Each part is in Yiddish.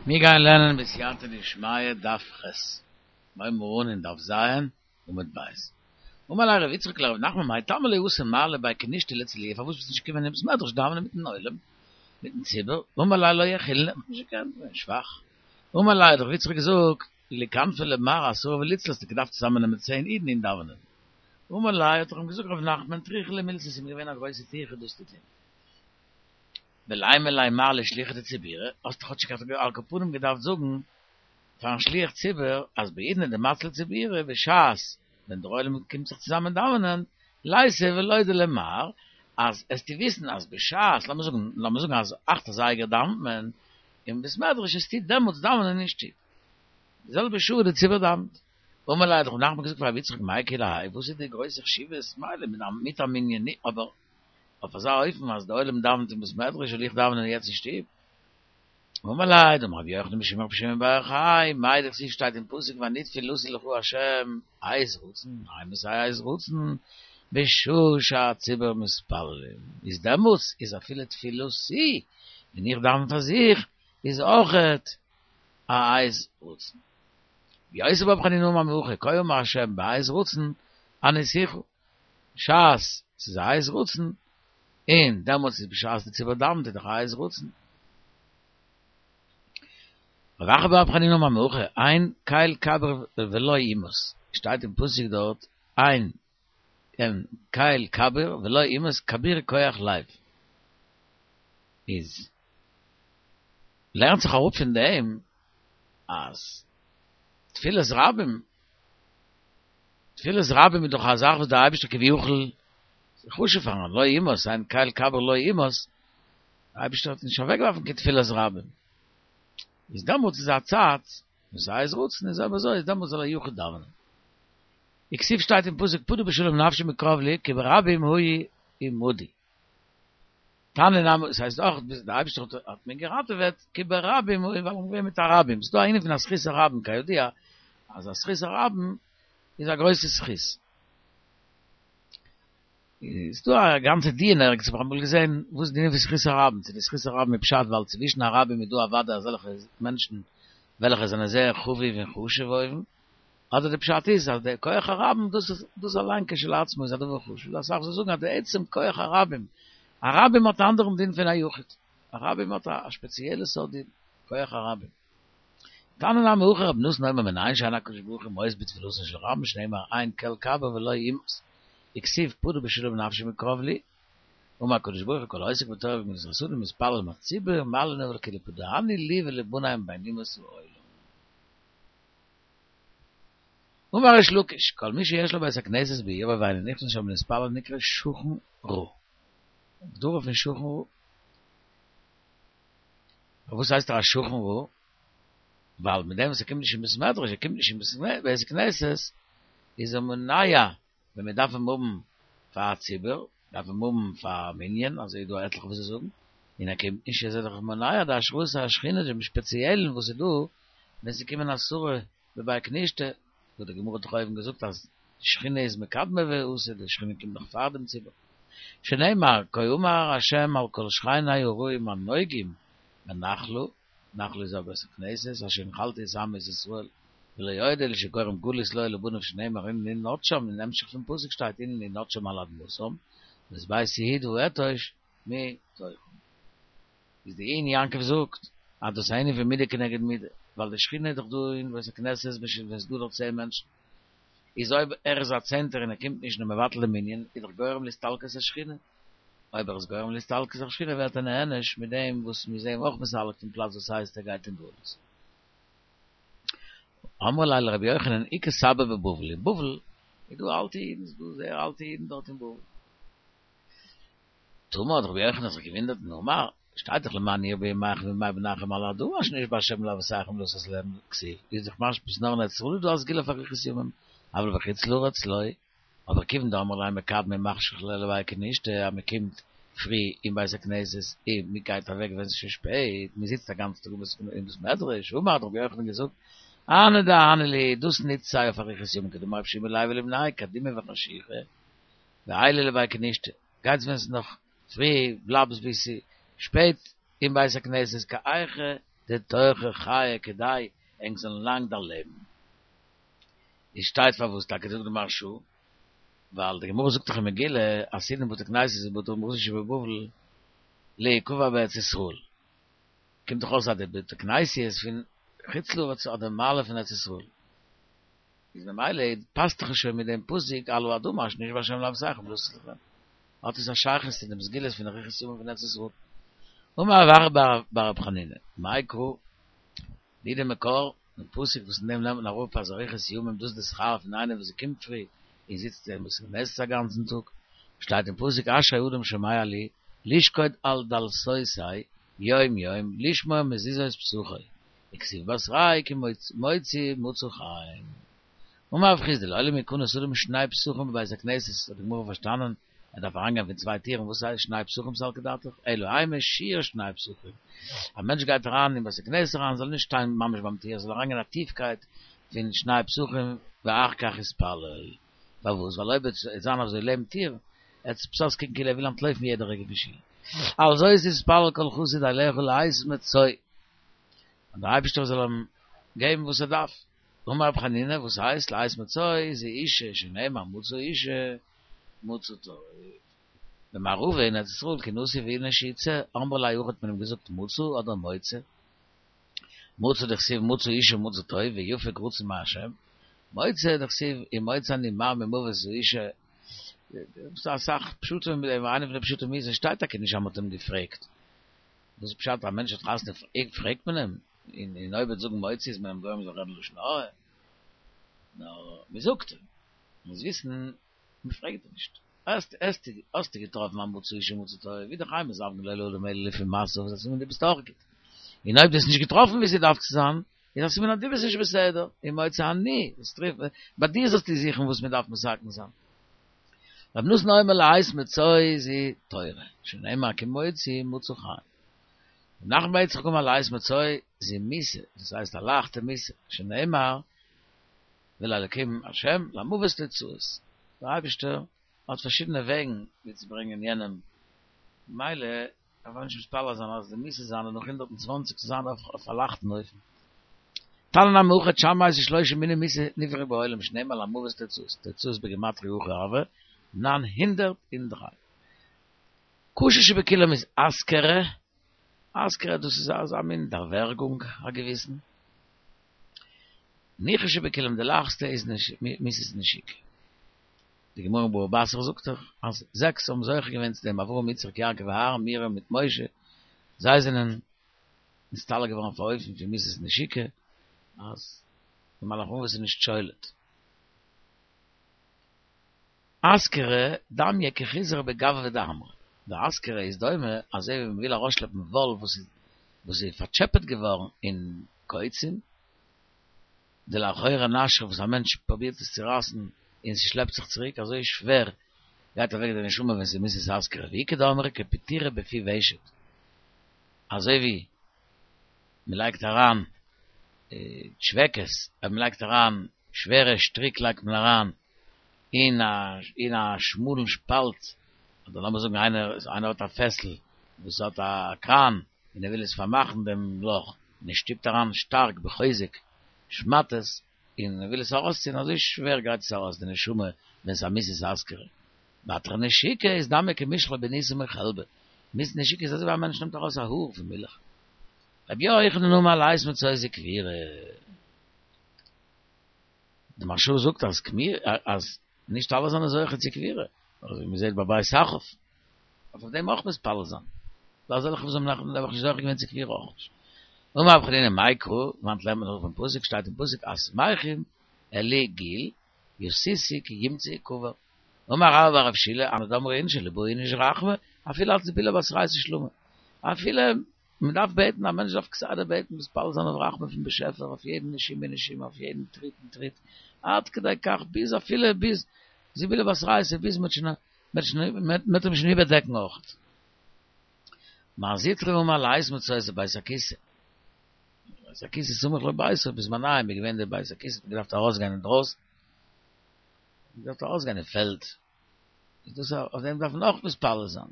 מיר גייען לערנען בסייעתא דשמיא דף ח', מיר הייבן אן אין דף ז' עמוד ב'. אמר ליה ר' יצחק לר' נחמן מאי טעמא לא אתי מר לבי כנישתא לצלויי פארוואס ביסטו נישט געקומען אין בית מדרש דאווענען מיטן עולם מיטן ציבור, אמר ליה לא יכילנא, איך האב נישט געקענט, געווען שוואך, אמר ליה האט ר' יצחק געזאגט ליקנפו למר עשרה וליצלו האסטו געדארפט צוזאמען נעמען צען אידן און דאווענען, אמר ליה האט ער אים געזאגט ר' נחמן טריחא לי מילתא ס'איז מיר געווען א גרויסע טירחא דאס צו טון. ולימא ליה מר לשליחא דציבורא, האסט דאך כאטשיג על כל פנים געדארפט זאגן פארן שליח ציבור אז בעידנא דמצלי ציבורא בשעת ווען דער עולם קומט זיך צוזאמען דאווענען, ליתיב ולודי למר, אז עסטו וויסן אז בשעת, לאמיר זאגן, לאמיר זאגן אז אכט אזייגער דאווענט מען אין בית מדרש עסטו דעמאלטס דאווענען אין שטוב, די זעלבע שעה וואס די ציבור דאווענט. אמר ליה האט ר' נחמן געזאגט פאר ר' יצחק מאי כולי האי וואס איז די גרויסע חשיבות, מילא מיט א מנין, אבער אויף אזא אופן אז די עולם דאווענט אין בית מדרש זאל איך דאווענען יעצט אין שטוב? אמר ליה, דאמר רבי יוחנן משום רבי שמעון בר יוחאי, מאי דכתיב שטייט אין פסוק ואני תפילתי לך ה' עת רצון, אימתי עת רצון, בשעה שהציבור מתפללים, איז דעמאלטס איז אפילו תפילתי, ווען איך דאווען פאר זיך, איז אויכעט א עת רצון. רבי יוסי ברבי חנינא אמר מהכא, כה אמר ה' בעת רצון עניתיך. בשעת ס'איז א עת רצון, און דעמאלטס איז בשעת די ציבור דאווענט איז דאך א עת רצון. רב אחא בר רב חנינא אמר מהכא, אין קל כביר ולא ימאס, שטייט אין פסוק דארט, אין אין קל כביר ולא ימאס כביר כח לב. איז לערנט זיך אראפ פון דעם אז תפילת רבים תפילת רבים איז דאך א זאך וואס דער אייבערשטער כביכול איז חשוב פארן לא ימאס, אין קל כביר לא ימאס, דער אייבערשטער האט נישט אוועקגעווארפן קיין תפילת רבים, איז דעמאלטס איז א צייט וואס עת רצון איז אויב אזוי איז דעמאלטס זאל א יחיד דאווענען. וכתיב שטייט אין פסוק פדה בשלום נפשי מקרב לי כי ברבים היו עמדי. תניא נמי, עס הייסט אויך ביז דער אייבערשטער האט האט מיר געראטעוועט, כי ברבים ווייל איך בין געווען מיט א רבים, ס'איז דא א ענין פון א זכות הרבים כידוע אז א זכות הרבים איז א גרויסע זכות. איז דא א גאנצע דיון ערגעץ האב איך אמאל געזען וואס איז די ענין פון זכות הרבים, צו די זכות הרבים איז פשט ווייל צווישן א רבים איז דא אוודאי אזעלכע מענטשן וועלכע זענען זייער חביב און חשוב אויבן, אדער די פשט איז אז די כח הרבים דאס איז דאס אליין כשלעצמו איז א דבר חשוב, אסאך וואס זאגן אז די עצם כח הרבים, א רבים האט א אנדערן דין פון א יחיד, א רבים האט א שפעציעלע סארט דין, כח הרבים. תניא נמי הכי רבי נתן אומר מנין שאין הקדוש ברוך הוא מואס בתפילתן של רבים שנאמר אין קל כביר ולא ימאס וכתיב פדה בשלום נפשי מקרב לי אמר הקדוש ברוך הוא כל העוסק בתורה וגמילות חסדים ומתפלל עם הציבור מעלין עליו כאילו פדאני לי ולבני מבין אומות העולם. אמר ריש לקיש, כל מי שיש לו בית הכנסת בעירו ואינו נכנס שם להתפלל נקרא שכן רע. הגדרה פון שכן רע. פארוואס הייסט ער א שכן רע? ווייל מיט דעם וואס ער קומט נישט אין בית מדרש, ער קומט נישט אין בית הכנסת, איז ער מונע ווען מען דארף אים האבן פאר א ציבור, דארף אים האבן פאר א מנין, אזוי איז דא עטליכע וואס זאגן, און ער קומט נישט איז ער דאך מונע די השראת השכינה דעם שפעציעלן וואס איז דא ווען ס'קומען עשרה בבי כנישתא, וואס די גמרא האט דאך אויבן געזאגט אז די שכינה איז מקדמא ואתי, די שכינה קומט נאך פאר דעם ציבור, שנאמר כה אמר ה' על כל שכני הרעים הנוגעים בנחלה, נחלה איז א בית הכנסת, אשר הנחלתי את עמי את ישראל, ולא עוד אלא שגורם גלות לו ולבניו שנאמר הנני נוטשם, אין המשך פון פסוק שטייט הנני נוטשם על אדמתם, ואת בית יהודה אתוש מתוכם. איז די עיון יעקב זאגט אז דאס איז א ענין פון מידה כנגד מידה, ווייל די שכינה איז דאך דא אין בית הכנסת ווען ס'איז דא דארט צען מענטשן, איז אויב ער איז א צענטער און ער קומט נישט און מבטל די מנין איז דאך גורם להסתלקות השכינה, אויב ער איז גורם להסתלקות השכינה ווערט ער נענש מיט דעם וואס מ'איז אים אויך מסלק פון פלאץ וואס הייסט ער גייט אין גלות. אמרו ליה לרבי יוחנן איכא סבי בבבל, אין בבל איז דא אלטע אידן, ס'איז דא זייער אלטע אידן דארט אין בבל. תמה האט רבי יוחנן זיך געוואונדערט און אמר, שטייט דאך למען ירבו ימיכם וימי בניכם על האדמה אשר נשבע השם לאבותיכם לתת להם כתיב, איז דאך משמע ס'איז נאר אין ארץ ישראל איז דא א סגולה פאר אריכות ימים, אבל בחוץ לארץ לא, אבער כיוון דאמרי ליה מקדמי ומחשכי לבי כנישתא אז מען קומט פרי אין בית הכנסת און מען גייט אוועק ווען ס'איז שוין שפעט, מען זיצט א גאנצן טאג אין בית מדרש, אמר האט רבי יוחנן געזאגט, אהני דאהני להו, דאס נוצט זיי אויף אריכות ימים כדאמר רבי יהושע בן לוי לבניה קדימו וחשיכא, ועיילו לבי כנישתא, גייטס ווען ס'איז נאך פרי, בלייבטס ביז ס'איז שפעט אין בית הכנסת כי היכי. דתורכו חיי כדי ענק זאלן לאנג דערלעבן. איז שטייט פארוואס טאקע זאגט די מהרשא, ווייל די גמרא זאגט דאך אין מגילה אז עתידין בתי כנסיות ובתי מדרשות שבבבל להיקבע בארץ ישראל, קומט דאך אויס אז די בתי כנסיות פון חוץ לארץ האט די מעלה פון ארץ ישראל, איז ממילא פאסט דאך שוין מיט דעם פסוק על האדמה אשר נשבע ה' לאבותיכם לתת לכם, האט עס א שייכות צו דעם סגולות פון אריכות ימים פון ארץ ישראל. אמר רב אחא בר רב חנינא, מאי קרא, ווי די מקור, דעם פסוק וואס אין דעם לערנט מען אראפ אז אריכות ימים דאס איז די שכר פון איינער וואס קומט פרי און זיצט אין בית הכנסת א גאנצן טאג, שטייט אין פסוק אשרי אדם שומע לי לשקוד על דלתותי יום יום לשמור מזוזות פתחי, וכתיב בתריה כי מוצאי מצא חן. אמר רב חסדא לעולם יכנס אדם שני פתחים בבית הכנסת האט די גמרא פארשטאנען ער דארף אריינגיין פון צוויי טירן וואס הייסט שני פתחים סלקא דעתך אלא אימא שיעור שני פתחים א מענטש גייט אריין אין בית הכנסת אריין זאל נישט שטיין ממש ביים טיר זאל אריינגיין א טיפקייט פון שני פתחים ואחר כך יתפלל פארוואס ווייל אויב וועט זיין אזוי לעבן טיר עט עס אויסקוקן כאילו ער וויל אנטלויפן יעדע רגע פון שול על זאת יתפלל כל חסיד אליך לעת מצוא אז דער אייבערשטער זאל אים געבן וואס ער דארף. אמר רב חנינא, וואס הייסט לעת מצוא זו אשה שנאמר מצא אשה מצא טוב. במערבא אין ארץ ישראל כי נסיב איניש איתתא אמרי ליה הכי האט מען אים געזאגט מצא אדער מוצא? מצא דכתיב מצא אשה מצא טוב ויפק רצון מהשם, מוצא דכתיב אם מוצא אני מר ממות האשה, ס'דא אסאך פשטים אין דעם, איינע פון די פשטים איז עס שטייט טאקע נישט אז מ'האט אים געפרעגט, וואס איז פשט א מענטש האט חתונה פרעגט מען אים? און אויב ער וועט זאגן מוצא איז מען אים גורם זאל רעדן לשון הרע? נאר מען זאגט אים, מוז וויסן מען פרעגט אים נישט. האסטו האסטו געטראפן א מצא אשה מצא טוב, איז דאך אין מזווגין לו לאדם אלא לפי מעשיו, איז א סימן דו ביסט אויך גוט. און אויב דו האסט נישט געטראפן ווי ס'דארף צו זיין, איז א סימן אז דו ביסט נישט בסדר, אם מוצא אני, ביי דיר זאלסטו זוכן וואס מען דארף מתקן זיין. רבי נתן אומר לעת מצוא זו תורה, שנאמר כי מוצאי מצא חן. רב נחמן בר יצחק אמר לעת מצוא זו מיתה, דאס הייסט א לייכטע מיתה, שנאמר ולאלקים השם למוות תוצאות, דער אייבערשטער האט פארשידענע וועגן ווי צו ברענגען יענעם, ממילא דארף מען נישט מתפלל זיין אז די מיתה זיינע נאך 120 זאל זיין אויף א לייכטן אופן. תניא נמי הכי תשע מאות ושלושה מיני מיתה נבראו בעולם שנאמר למוות תוצאות, תוצאות בגימטריא הכי הוה, 903. קשה שבכולם איז אסכרה, אסכרה דאס איז אזא מין דערווערגונג א געוויסן. ניחא שבכולם די לייכסטע איז מיתת נשיקה. די גמרא אין בבא בתרא זאגט דאך אז זעקס האבן זוכה געווען צו דעם אברהם יצחק יעקב אהרן מרים מיט משה, זיי זענען נסתלק געווארן אויף א אופן פון מיתת נשיקה אז די מלאך המוות איז נישט שולט. אסכרה דמיא כחיזרא בגויה דעמרא, די אסכרה איז דומה אזוי ווי מ'וויל ארויסשלעפן וואל וואס איז וואס איז פארטשעפעט געווארן אין קוצים, דלאחורי נשכא וואס א מענטש פרובירט עס צו רייסן און ס'שלעפט זיך צוריק אזוי שווער גייט אוועק די נשמה ווען ס'איז מיתת אסכרה ואיכא דאמרי כפיטירא בפי ושט אזוי ווי מ'לייגט אריין טשוועקעס אז מ'לייגט אריין שווערע שטריק לייגט מען אריין אין א אין א שמאלן שפאלט אדער לאמיר זאגן איינער איינער האט א פעסל וואס האט א קראן און ער וויל עס פארמאכן דעם לאך און ער שטופט אריין שטארק בחוזק שמאטעס און ער וויל עס ארויסציען אזוי שווער גייט עס ארויס די נשמה ווען ס'איז א מיתת אסכרה. בתר נשיקה איז דמיא כמישחא בניסא מחלבא, מיתת נשיקה איז אזוי ווי א מענטש נעמט ארויס א האר פון מילך. רבי יוחנן אמר לעת מצוא זו קבורה. די מהרש"א זאגט אז אז נישט אלע זענען זוכה צו קבורה, אזוי ווי מ'זעט ביי בית אחאב, דארף אויף דעם אויך מתפלל זיין, ס'דא אזעלכע וואס האבן נעבעך נישט זוכה געווען צו קבורה אויך נישט. אמר רב חנינא מאי קרא, וואנעט לערנט מען נאך פון פסוק, שטייט אין פסוק השמחים אלי גיל, ישישו כי ימצא קבר. אמר רבה בר רב שילא, אנא דאמרי אינשי לא בעי איניש רחמי, אפילו על זיבולא בתרייתא שלמא. אפילו מען דארף בעטן, א מענטש דארף כסדר בעטן מתפלל זיין אויף רחמים פון באשעפער אויף יעדן נשימה ונשימה, אויף יעדן טריט און טריט, עד כדי כך ביז אפילו ביז זיבולא בתרייתא ביז מען וועט שוין מען וועט אים שוין איבערדעקן אויך. מר זוטרא אמר לעת מצוא זו בית הכסא. בית הכסא סמוך לביתו, בזמנם איז געווען די בית הכסא האט מען געדארפט ארויסגיין אינדרויסן, מען געדארפט ארויסגיין אין פעלד, איז דאס אויף דעם דארף מען אויך מתפלל זיין.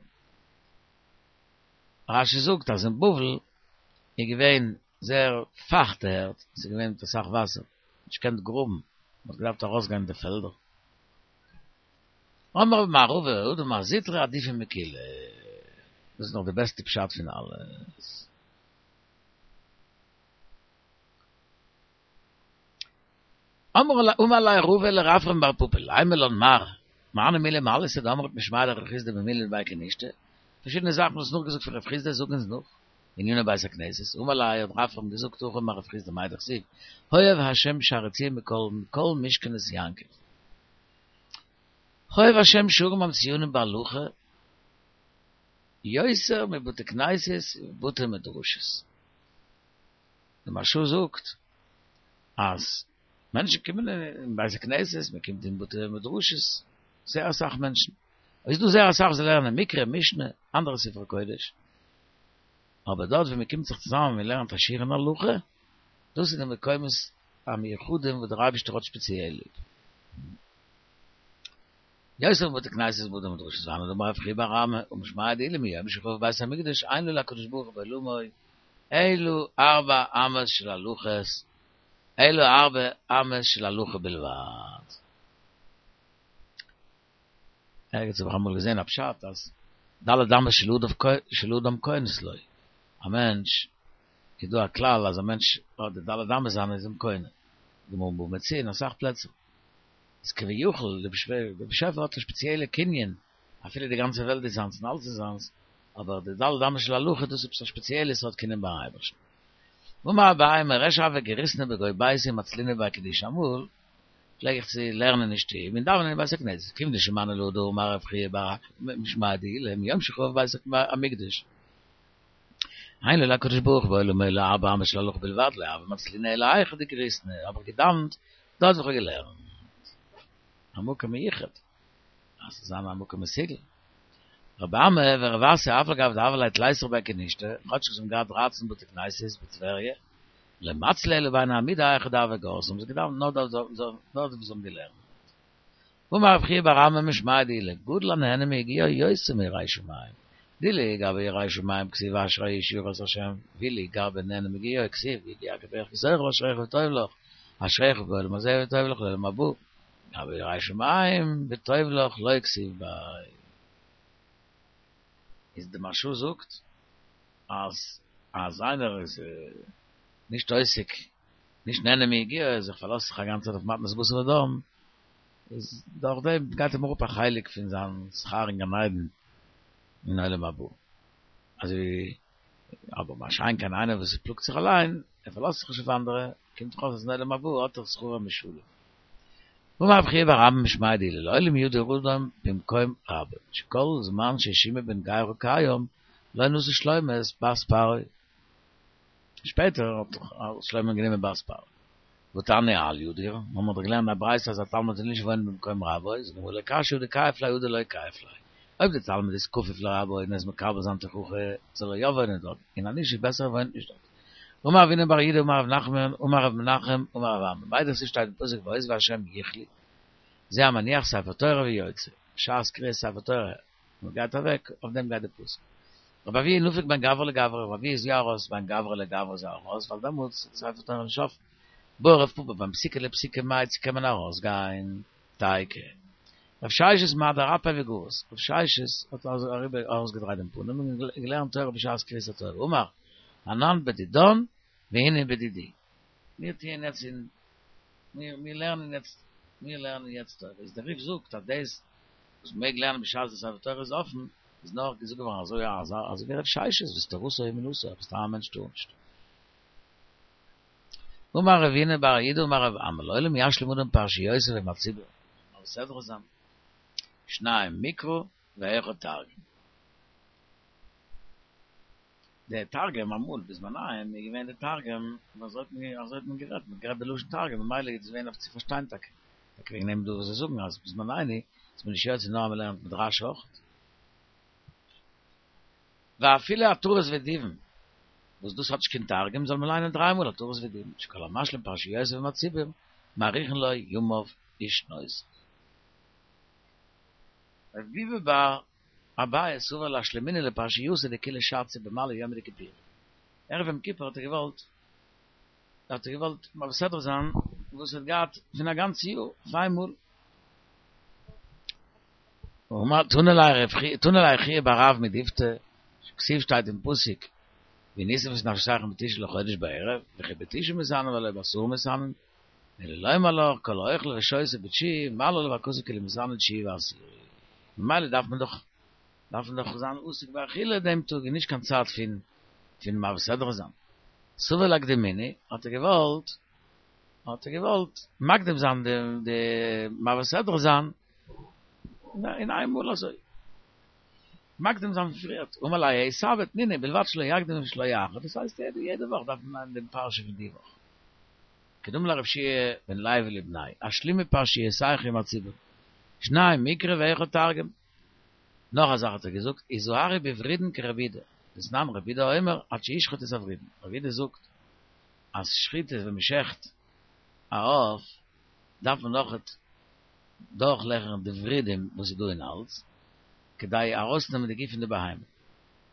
רש"י זאגט אז אין בבל איז געווען. זייער פייכטע ערד, ס'איז געווען מיט אסאך וואסער, נישט געקענט גראבן, מ'האט געדארפט ארויסגיין אין די פעלדער. אמר מר ערבא הא דאמר זוטרא עדיפא מכולא, דאס איז נאך די בעסטע פשט פון אלעס. אמר ליה רבא לרפרם בר פפא, לימא לן מר, מאני מילי מעלתא דאמרת משמיה דרב חסדא במילי דבי כנישתא, פארשידענע זאכן וואס נאכגעזאגט פון רב חסדא זאג אונז נאך, בעניני בית הכנסת, אמר ליה האט רפרם געזאגט הכי אמר רב חסדא מאי דכתיב, אוהב ה' שערי ציון מכל מכל משכנות יעקב. אוהב ה' שערים המצוינים בהלכה יותר מבתי כנסת ובתי מדרשות. די מהרש"א זאגט אז מענטשן קומען אין בית הכנסת, מען קומט אין בתי מדרשות, זייער אסאך מענטשן, איז דא זייער אסאך וואס לערנען מקרא, משנה, אנדערע ספרי קודש, אבער דארט ווי מען קומט זיך צוזאמען און מען לערנט א שיעור אין הלכה, דאס איז די מקומות המיוחדים וואס דער אייבערשטער האט שפעציעל ליב. יותר מבתי כנסת ובתי מדרשות והני דאמר רב חייא בר אמי משמיה דעולא מיום שחרב בית המקדש אין לו להקדוש ברוך הוא בעולמו אלא ארבע אמות של הלכות אלא ארבע אמות של הלכה בלבד. ערגעץ האב איך אמאל געזען א פשט אז ד' אמות של אדם קונות לו, א מענטש איז דא א כלל אז א מענטש האט די ד' אמות זיינע איז אים קונה, גמרא בבא מציעא און אסאך פלעצער. איז כביכול די באשעפער האט א שפעציעלע קנין, אפילו די גאנצע וועלט איז זיינס און אלעס איז זיינס, אבער די ד' אמות של הלכה דאס איז עפעס א שפעציעלע סארט קנין ביים אייבערשטן. אמר אביי מריש הוה גריסנא בגו ביתי ומצלינא בי כנישתא אמאל פלעג איך צו לערנען אין שטוב און דאווענען אין בית הכנסת כיון דשמענא להא דאמר רב חייא בר משמיה דעולא מיום שחרב בית המקדש אין לו להקדוש ברוך הוא בעולמו אלא ארבע אמות של הלכה בלבד לא הוה מצלינא אלא היכא דגריסנא האב איך געדאווענט דארט וואו איך האב געלערנט א מקום מיוחד אז ס'זאל זיין א מקום מסוגל. רבי אמי ורב אסי אף על גב דהוה להו תליסר בי כנישתא, כאטש זיי האבן געהאט דרייצן בתי כנסת בטבריה, לא מצלו אלא ביני עמודי היכא דהוו גרסי, האבן זיי געדאווענט נאר דארט וואו זיי האבן געלערנט. ואמר רב חייא בר אמי משמיה דעולא, גדול הנהנה מיגיעו יותר מירא שמים, דאילו גבי ירא שמים כתיב אשרי איש ירא את השם, ואילו גבי נהנה מיגיעו כתיב יגיע כפיך כי תאכל אשריך וטוב לך, אשריך בעולם הזה וטוב לך לעולם הבא, גבי ירא שמים וטוב לך לא כתיב ביה. איז די מהרש"א זאגט אז אז איינער איז נישט עוסק נישט נהנה מיגיעו זיך פארלאזט זיך א גאנצע צייט אויף מתנת בשר ודם איז דורך דעם גייט אים אראפ א חלק פון זיין שכר אין גן עדן אין עולם הבא אזוי אבער מה שאין כן איינער וואס פלאגט זיך אליין ער פארלאזט זיך נישט אויף אנדערע קומט דאך אויס אז אין עולם הבא האט ער שכרו משולם. ואמר רב חייא בר אמי משמיה דעולא לעולם ידור אדם במקום רבו שכל זמן ששמעי בן גרא קיים לא נשא שלמה את בת פרעה שפעטער האט שלמה גענומען בת פרעה והתניא אל ידור האבן מיר דאך געלערנט א ברייתא אז א תלמיד זאל נישט וואוינען במקום רבו זאגט די גמרא לא קשיא הא דכייף ליה הא דלא כייף ליה אויב דער תלמיד איז כפוף לרבו און ער איז מקבל זיין תוכחה זאל ער יא וואוינען דארט און אז נישט איז בעסער ער וואוינט נישט דארט. אמר רב הונא בר יהודה אמר רב נחמן אמר רב מנחם אמר רב אמי מאי דכתיב שטייט אין פסוק ועוזבי השם יכלו זה המניח ספר תורה ויוצא בשעת קריאת ספר תורה מען גייט אוועק אויף דעם גייט די פסוק רבי אבהו נפיק בין גברא לגברא רבי אבהו איז יא ארויס בין גברא לגברא איז ער ארויס ווייל דעמאלטס איז ספר תורה נישט אפן בעי רב פפא בין פסיקא לפסיקא מאי צו קען מען ארויס גיין תיקו רב ששת מהדר אפיה וגרס רב ששת האט ארויסגעדרייט דעם פנים און געלערנט תורה בשעת קריאת התורה אמר אנן בדידן והינן בדידי. מיר טוען יעצט אין, מיר מיר לערנען יעצט, מיר לערנען יעצט תורה. איז דער רי"ף זאגט אז דאס וואס מ'מעג לערנען בשעת די ספר תורה איז אפן, איז נאר געזאגט געווארן אזוי אז אזוי ווי רב ששת וואס תורתו אומנותו, אבער סתם א מענטש טאר נישט. אמר רב הונא בר יהודה אמר רב אמי לעולם ישלים אדם פרשיותיו עם הציבור, מעביר סדרה זיין, שניים מקרא ואחד תרגום. דער תרגום אמאל בזמניהם איז געווען די תרגום אזוי האט מען אזוי האט מען גערעדט מען האט גערעדט בלשון תרגום ממילא איז עס געווען אויף צו פארשטיין טאקע טאקע וועגן דעם דא וואס זיי זאגן אז בזמנינו איז מען נישט יוצא נאר אז מען לערנט מיט רש"י אויך. ואפילו עטרות ודיבון וואס דאס האט נישט קיין תרגום זאל מען ליינען דריי מאל עטרות ודיבון שכל המשלים פרשיותיו עם הציבור מאריכין לו ימיו ושנותיו. רב ביבי בר אביי סבר לאשלומינהו לפרשייתא דכולא שתא במעלי יומא דכיפורי. ערב יום כיפור האט ער געוואלט האט ער געוואלט מעביר סדרה זיין וואס ער האט געהאט פון א גאנץ יאר אויף איינמאל. אמר תנא ליה רב חייא תנא ליה חייא בר רב מדיפתי כתיב שטייט אין פסוק ועניתם את נפשותיכם בתשעה לחודש בערב וכי בתשעה מתענין והלא בעשרה מתענין אלא לומר לך כל האוכל ושותה בתשיעי מעלה עליו הכתוב כאילו מתענה תשיעי ועשירי ממילא דארף מען דאך דארף מען דאך זיין עוסק באכילה דעם טאג און נישט קיין צייט פון פון מעביר סדרה זיין. סבר לאקדומינהו האט ער געוואלט האט ער געוואלט מקדים זיין די די מעביר סדרה זיין אין איין מאל אזוי מקדים זיין פריערט אמר ליה ההוא סבא תנינא ובלבד שלא יקדים ושלא יאחר דאס הייסט יעדע יעדע וואך דארף מען ליינען דעם פרשה פון די וואך כדאמר ליה רבי יהושע בן לוי לבניה השלימו פרשיותיכם עם הציבור שנים מקרא ואחד תרגום נאך א זאך האט ער געזאגט, הזהרו בוורידין כרבי יהודה, דתנן רבי יהודה אומר עד שישחוט את הוורידין, רבי יהודה זאגט אז שחיטה ווען מען שעכט א עוף דארף מען נאכעט דורכלעכערן די ורידים וואס איז דא אין האלז כדי ארויסנעמען די גוף פון די בהמה,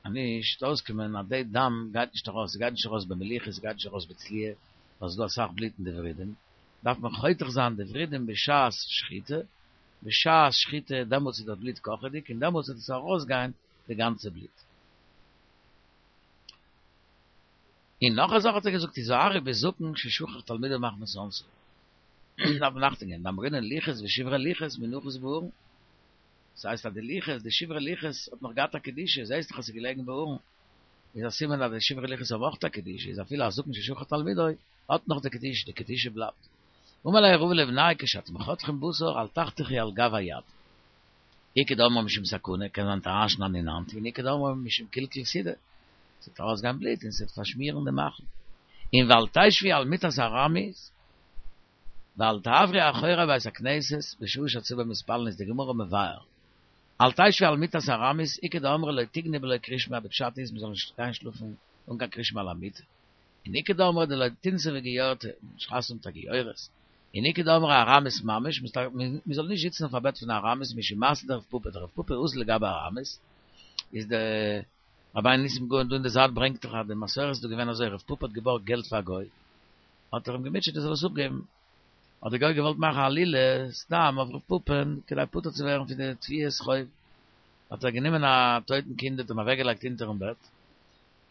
אז נישט וועט אויסקומען אז די דם גייט נישט ארויס, ס'גייט נישט ארויס במליחה, ס'גייט נישט ארויס בצליה, ווייל ס'איז דא אסאך בלוט אין די ורידים, דארף מען חותך זיין די ורידים בשעת שחיטה, בשעת שחיטה דעמאלטס איז דאס בלוט קאכעדיג און דעמאלטס וועט עס ארויסגיין די גאנצע בלוט. און נאך א זאך האט ער געזאגט הזהרו בזקן ששכח תלמידיו מחמת אונסו. דארף מען אכטונג געבן, דאמרינן לוחות ושברי לוחות מונחות בארון. דאס הייסט אז די לוחות, די שברי לוחות האט נאך געהאט א קדושה, זעהסט דאך אז ס'איז געלעגן בארון. איז א סימן אז די שברי לוחות האבן אויך א קדושה, איז אפילו א זקן ששכח תלמידו האט נאך די קדושה, די קדושה בלייבט. אמר ליה רבא לבניה כשאתם חותכים בשר אל תחתכו על גב היד. איכא דאמרי משום סכנה, קען זיין אריינשניידן אין האנט, און איכא דאמרי משום קלקול סעודה, ס'וועט ארויסגיין בלוט און ס'וועט פארשמירן די מאכל. און ואל תשבו על מיטת ארמית, ואל תעברו אחורי בית הכנסת בשעה שהציבור מתפללין איז די גמרא מבאר אל תשבו על מיטת ארמית איכא דאמרי לא תיגני בלא קרישמע די פשט איז מ'זאל נישט גיין שלאפן אן קיין קרישמע על המיטה און איכא דאמרי דלא תנסיבו גיורתא נישט חתונה מיט א גיורת און איכא דאמרי ארמית ממש מ'זאל נישט זיצן אויף א בעט פון ארמית משום מעשה דרב פפא דרב פפא אזיל לגבי ארמית איז די רבינו ניסים גאון דא אין די זייט ברענגט דאך אז די מסורת איז דא געווען אזוי רב פפא האט געבארגט געלט פאר א גוי האט ער אים געמוטשעט ער זאל עס אפגעבן, האט דער גוי געוואלט מאכן עלילה סתם אויף רב פפא'ן כדי פטור צו ווערן פון די תביעת חוב, האט ער גענומען א טויטן קינד האט אים אוועקגעלייגט אונטערן בעט,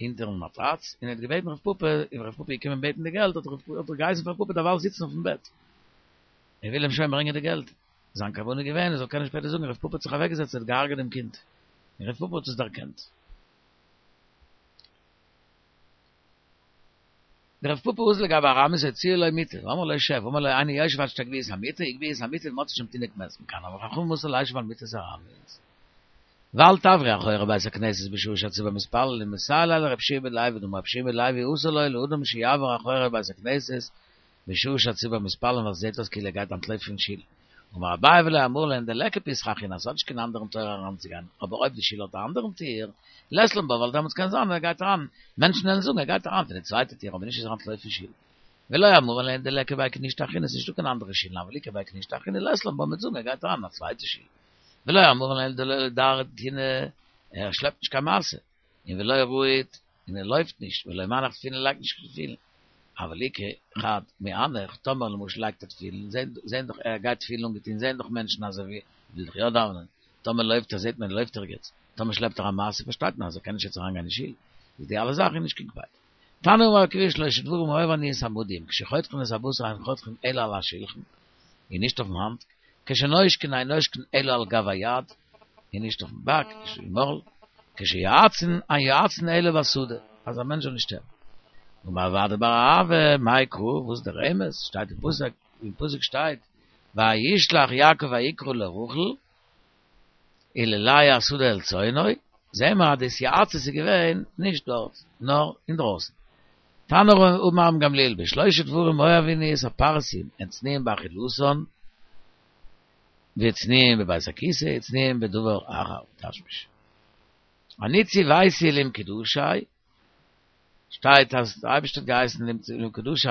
אונטערן מאטראץ, און ער האט געבעטן רב פפא, און רב פפא איז געקומען בעטן די געלט, האט ער געהייסן פאר רב פפא דערווייל זיצן אויפן בעט, ער וויל אים שוין ברענגען די געלט, זיין כוונה איז געווען ער זאל קענען שפעטער זאגן רב פפא האט זיך אוועקגעזעצט ער האט געהארגעט דעם קינד, און רב פפא האט עס דערקענט. דרב פפא אזל לגבי ארמית הציעו לו מיטה, ואמרו לו שב, אמר לו איני יושב עד שתגביהו את המיטה, הגביהו את המיטה ומצאו שם תינוק מת, מכאן אמרו חכמים אסור לישב על מיטת ארמית. ואל תעברו אחורי בית הכנסת בשעה שהציבור מתפללים, מסייע ליה לרבי יהושע בן לוי, דאמר רבי יהושע בן לוי אסור לו לאדם שיעבור אחורי בית הכנסת בשעה שהציבור מתפללים ווייל ס'זעט אויס כאילו ער גייט אנטלויפן פון שול. אמר אביי ולא אמרו לן דליכא פתחא אחרינא, ס'האט נישט קיין אנדערן טויער אריינצוגיין, אבער אויב די שול האט א אנדערן טיר, לית לן בה ווייל דעמאלטס קען זיין ער גייט אריין, מענטשן וועלן זאגן ער גייט אריין פון די צווייטע טיר אבער נישט אז ער אנטלויפט פון שול. ולא אמרו לן דליכא בי כנישתא אחרינא, ס'נישטא קיין אנדערע שולן, אבל איכא בי כנישתא אחרינא לית לן בה מ'וועט זאגן ער גייט אריין אין א צווייטע שול. ולא אמרו לן דלא דרי תיני, ער שלעפט נישט קיין משא, און ולא רהיט, און ער לויפט נישט, ולא מנח תפילין לייגט נישט קיין תפילין. אבל איכא חד מאנח, טאמער למשל לייגט ער תפילין, זעהן דאך ער גייט תפילין אנגעטוהן זעהן דאך מענטשן אז ער וויל דאך יא דאווענען, טאמער לויפט ער זעהט מען ער לויפט ערגעץ, טאמער שלעפט ער א משא פארשטייט מען אז ער קען נישט יעצט אריינגיין אין שול, איז די אלע זאכן נישט קיין קפידא. תנא אמר רבי עקיבא שלשה דברים אוהב אני את המודים, כשחותכין את הבשר אין חותכין אלא על השולחן, און נישט אויפן האנט, כשנושקין אין נושקין אלא על גב היד, און נישט אויפן באק, נישט אין מויל, כשיועצין אין יועצין אלא בשדה, אז א מענטש זאל נישט שטערן. אמר רב אדא בר אהבה, מאי קרא, וואס איז דער רמז, שטייט אין פסוק, אין פסוק שטייט, וישלח יעקב ויקרא לרחל, וללאה השדה אל צאנו, זעהן מיר אז די התייעצות איז געווען נישט דארט, נאר אינדרויסן. תנא אמר רבן גמליאל, בשלושה דברים אוהב אני את הפרסים, הן צנועים באכילתן, וצנועים בבית הכסא, וצנועים בדבר אחר, תשמיש. אני ציוויתי למקודשי, שטייט אז דער אייבערשטער האט געהייסן למקודשי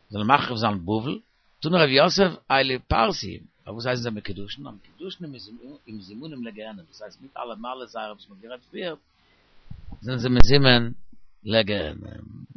זאלן מחריב זיין בבל, תני רב יוסף אלו פרסיים, פארוואס הייסן זיי מקודשין? המקודשין ומזומנים לגיהנום, דאס הייסט מיט אלע מעלות זייערע וואס מען האט גערעדט פריער, זענען זיי מזומן לגיהנום.